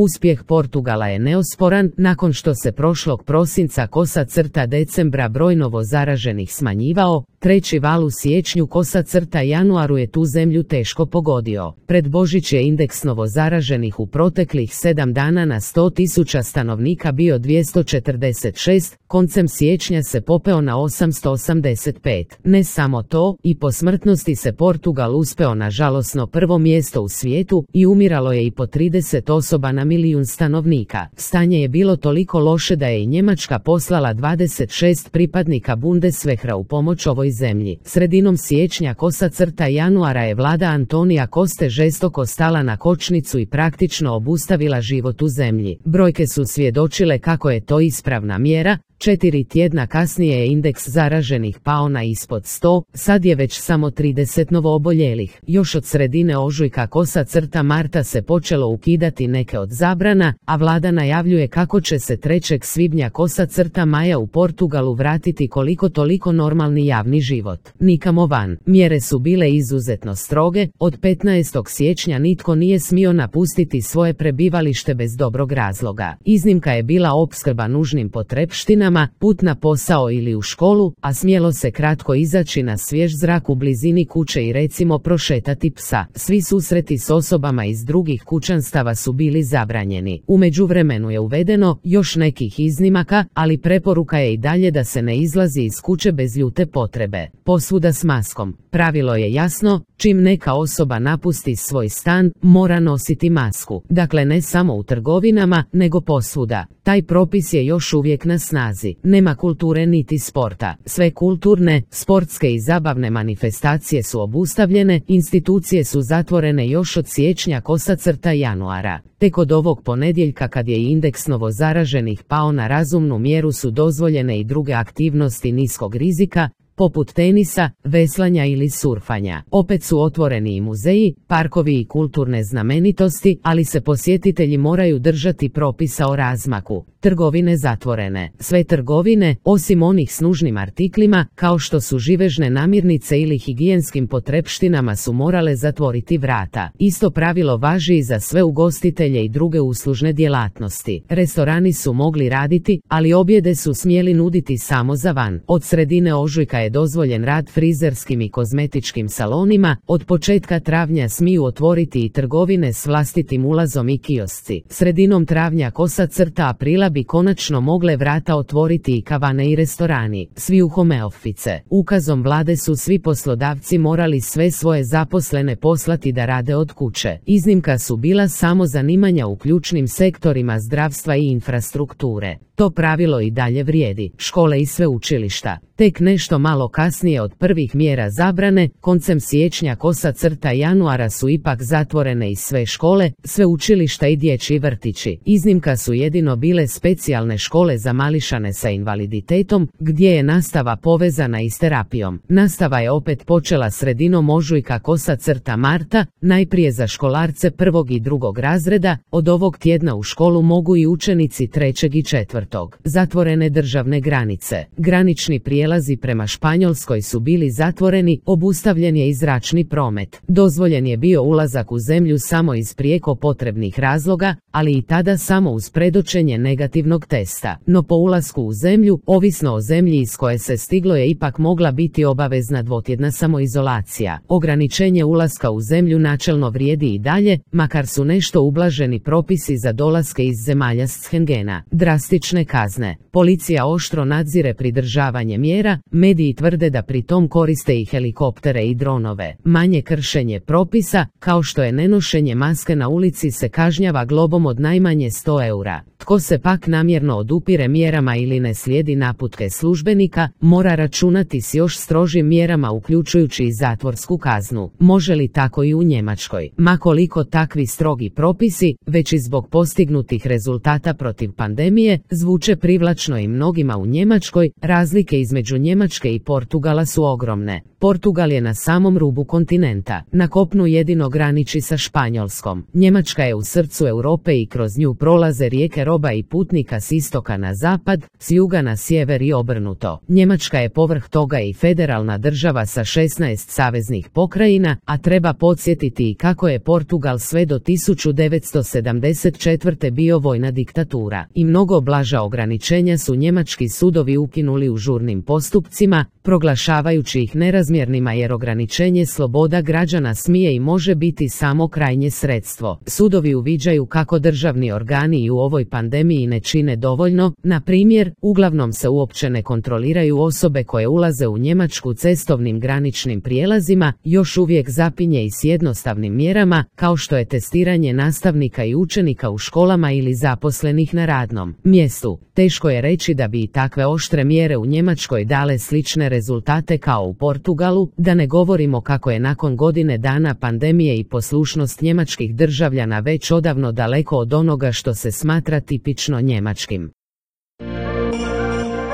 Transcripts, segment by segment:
Uspjeh Portugala je neosporan, nakon što se prošlog prosinca /decembra broj novo zaraženih smanjivao, treći val u siječnju /januaru je tu zemlju teško pogodio. Pred Božić je indeks novo zaraženih u proteklih 7 dana na 100.000 stanovnika bio 246, koncem siječnja se popeo na 885. Ne samo to, i po smrtnosti se Portugal uspeo na žalosno prvo mjesto u svijetu i umiralo je i po 30 osoba na milijun stanovnika. Stanje je bilo toliko loše da je i Njemačka poslala 26 pripadnika Bundeswehra u pomoć ovoj zemlji. Sredinom siječnja /januara je vlada Antonija Koste žestoko stala na kočnicu i praktično obustavila život u zemlji. Brojke su svjedočile kako je to ispravna mjera. 4 tjedna kasnije je indeks zaraženih pao na ispod 100, sad je već samo 30 novooboljelih. Još od sredine ožujka /marta se počelo ukidati neke od zabrana, a vlada najavljuje kako će se 3. svibnja /maja u Portugalu vratiti koliko toliko normalni javni život. Nikamo van. Mjere su bile izuzetno stroge, od 15. siječnja nitko nije smio napustiti svoje prebivalište bez dobrog razloga. Iznimka je bila opskrba nužnim potrepštinama, put na posao ili u školu, a smjelo se kratko izaći na svjež zrak u blizini kuće i recimo prošetati psa. Svi susreti s osobama iz drugih kućanstava su bili zabranjeni. U međuvremenu je uvedeno još nekih iznimaka, ali preporuka je i dalje da se ne izlazi iz kuće bez ljute potrebe. Posvuda s maskom. Pravilo je jasno, čim neka osoba napusti svoj stan, mora nositi masku. Dakle, ne samo u trgovinama, nego posvuda. Taj propis je još uvijek na snazi. Nema kulture niti sporta. Sve kulturne, sportske i zabavne manifestacije su obustavljene, institucije su zatvorene još od siječnja /januara. Tek od ovog ponedjeljka, kad je indeks novozaraženih pao na razumnu mjeru, su dozvoljene i druge aktivnosti niskog rizika, poput tenisa, veslanja ili surfanja. Opet su otvoreni i muzeji, parkovi i kulturne znamenitosti, ali se posjetitelji moraju držati propisa o razmaku. Trgovine zatvorene. Sve trgovine, osim onih s nužnim artiklima, kao što su živežne namirnice ili higijenskim potrepštinama, su morale zatvoriti vrata. Isto pravilo važi i za sve ugostitelje i druge uslužne djelatnosti. Restorani su mogli raditi, ali objede su smjeli nuditi samo za van. Od sredine ožujka je dozvoljen rad frizerskim i kozmetičkim salonima, od početka travnja smiju otvoriti i trgovine s vlastitim ulazom i kiosci. Sredinom travnja /aprila bi konačno mogle vrata otvoriti i kavane i restorani. Svi u home office. Ukazom vlade su svi poslodavci morali sve svoje zaposlene poslati da rade od kuće. Iznimka su bila samo zanimanja u ključnim sektorima zdravstva i infrastrukture. To pravilo i dalje vrijedi. Škole i sveučilišta. Tek nešto malo kasnije od prvih mjera zabrane, koncem siječnja /januara su ipak zatvorene i sve škole, sveučilišta i dječji vrtići. Iznimka su jedino bile specijalne škole za mališane sa invaliditetom, gdje je nastava povezana i s terapijom. Nastava je opet počela sredinom ožujka /marta, najprije za školarce 1. i 2. razreda, od ovog tjedna u školu mogu i učenici 3. i 4. Zatvorene državne granice. Granični prijelazi prema Španjolskoj su bili zatvoreni, obustavljen je i zračni promet. Dozvoljen je bio ulazak u zemlju samo iz prijeko potrebnih razloga, ali i tada samo uz predočenje negativnog testa. No po ulasku u zemlju, ovisno o zemlji iz koje se stiglo, je ipak mogla biti obavezna dvotjedna samoizolacija. Ograničenje ulaska u zemlju načelno vrijedi i dalje, makar su nešto ublaženi propisi za dolaske iz zemalja Schengena. Drastične kazne. Policija oštro nadzire pridržavanje mjera, mediji tvrde da pri tom koriste i helikoptere i dronove. Manje kršenje propisa, kao što je nenošenje maske na ulici, se kažnjava globom od najmanje 100 eura. Tko se pak namjerno odupire mjerama ili ne slijedi naputke službenika, mora računati s još strožim mjerama, uključujući i zatvorsku kaznu. Može li tako i u Njemačkoj? Ma koliko takvi strogi propisi, već i zbog postignutih rezultata protiv pandemije, zvuče privlačno i mnogima u Njemačkoj, razlike između Njemačke i Portugala su ogromne. Portugal je na samom rubu kontinenta. Na kopnu jedino graniči sa Španjolskom. Njemačka je u srcu Europe i kroz nju prolaze rijeke roba i putnika s istoka na zapad, s juga na sjever i obrnuto. Njemačka je povrh toga i federalna država sa 16 saveznih pokrajina, a treba podsjetiti i kako je Portugal sve do 1974. bio vojna diktatura. I mnogo blaža ograničenja su njemački sudovi ukinuli u žurnim postupcima, proglašavajući ih nerazmjernima jer ograničenje sloboda građana smije i može biti samo krajnje sredstvo. Sudovi uviđaju kako državni organi i u ovoj pandemiji ne čine dovoljno, na primjer, uglavnom se uopće ne kontroliraju osobe koje ulaze u Njemačku cestovnim graničnim prijelazima, još uvijek zapinje i s jednostavnim mjerama, kao što je testiranje nastavnika i učenika u školama ili zaposlenih na radnom mjestu. Teško je reći da bi i takve oštre mjere u Njemačkoj dale slične rezultate kao u Portugalu, da ne govorimo kako je nakon godine dana pandemije i poslušnost njemačkih državljana već odavno daleko od onoga što se smatra tipično njemačkim.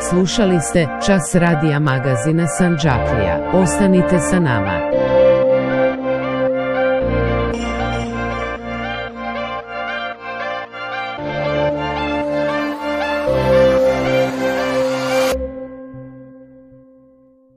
Slušali ste Čas radija magazina Sandžaklija. Ostanite sa nama.